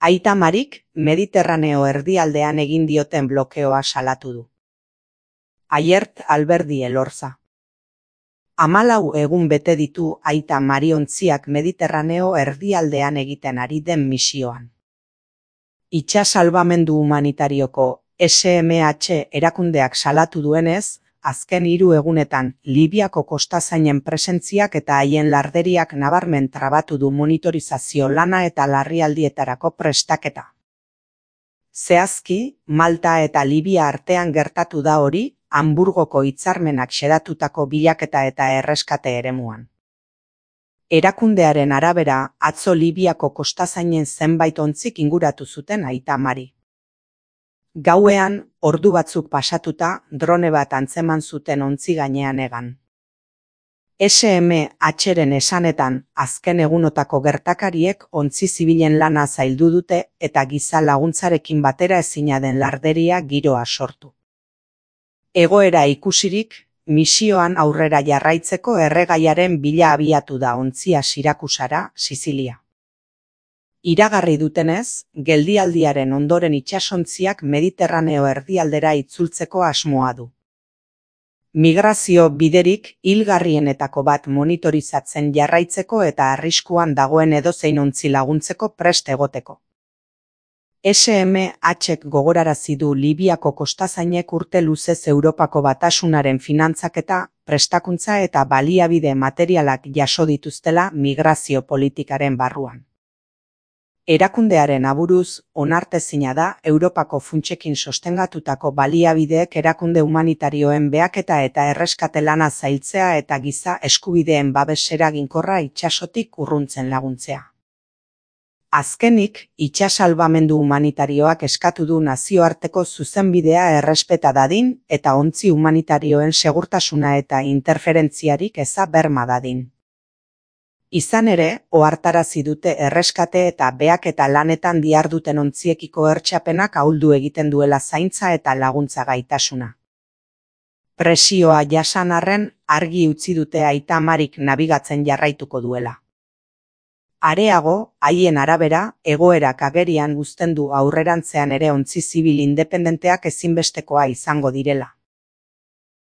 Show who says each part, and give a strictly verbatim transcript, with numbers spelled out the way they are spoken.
Speaker 1: Aita Marik Mediterraneo erdialdean egin dioten blokeoa salatu du. Aiert Alberdi Elorza. Hamalau egun bete ditu Aita Mari ontziak Mediterraneo erdialdean egiten ari den misioan. Itsas salbamendu humanitarioko S M H erakundeak salatu duenez, azken hiru egunetan Libiako kostazainen presentziak eta haien larderiak nabarmen trabatu du monitorizazio lana eta larrialdietarako prestaketa. Zehazki, Malta eta Libia artean gertatu da hori, Hamburgoko hitzarmenak xedatutako bilaketa eta erreskate eremuan. Erakundearen arabera, atzo Libiako kostazainen zenbait ontzik inguratu zuten Aita Mari. Gauean, ordu batzuk pasatuta, drone bat antzeman zuten ontzi gainean egan. S M H-ren esanetan, azken egunotako gertakariek ontzi zibilen lana zaildu dute eta giza laguntzarekin batera ezina den larderia giroa sortu. Egoera ikusirik, misioan aurrera jarraitzeko erregaiaren bila abiatu da ontzia Sirakusara, Sizilia. Iragarri dutenez, geldialdiaren ondoren itsasontziak Mediterraneo erdialdera itzultzeko asmoa du. Migrazio biderik hilgarrienetako bat monitorizatzen jarraitzeko eta arriskuan dagoen edozein ontzi laguntzeko prest egoteko. S M H-ek gogorarazi du Libiako kostazainek urte luzez Europako Batasunaren finantzaketa, prestakuntza eta baliabide materialak jaso dituztela migrazio politikaren barruan. Erakundearen aburuz, onartezina da Europako funtsekin sostengatutako baliabideek erakunde humanitarioen behaketa eta erreskate lana zailtzea eta giza eskubideen babes eraginkorra itsasotik urruntzen laguntzea. Azkenik, itsas salbamendu humanitarioak eskatu du nazioarteko zuzenbidea errespeta dadin eta ontzi humanitarioen segurtasuna eta interferentziarik eza berma dadin. Izan ere, ohartarazi dute erreskate eta behaketa lanetan diharduten ontziekiko hertsapenak ahuldu egiten duela zaintza eta laguntza gaitasuna. Presioa jasan arren, argi utzi dute Aita Marik nabigatzen jarraituko duela. Areago, haien arabera, egoerak agerian uzten du aurrerantzean ere ontzi zibil independenteak ezinbestekoa izango direla.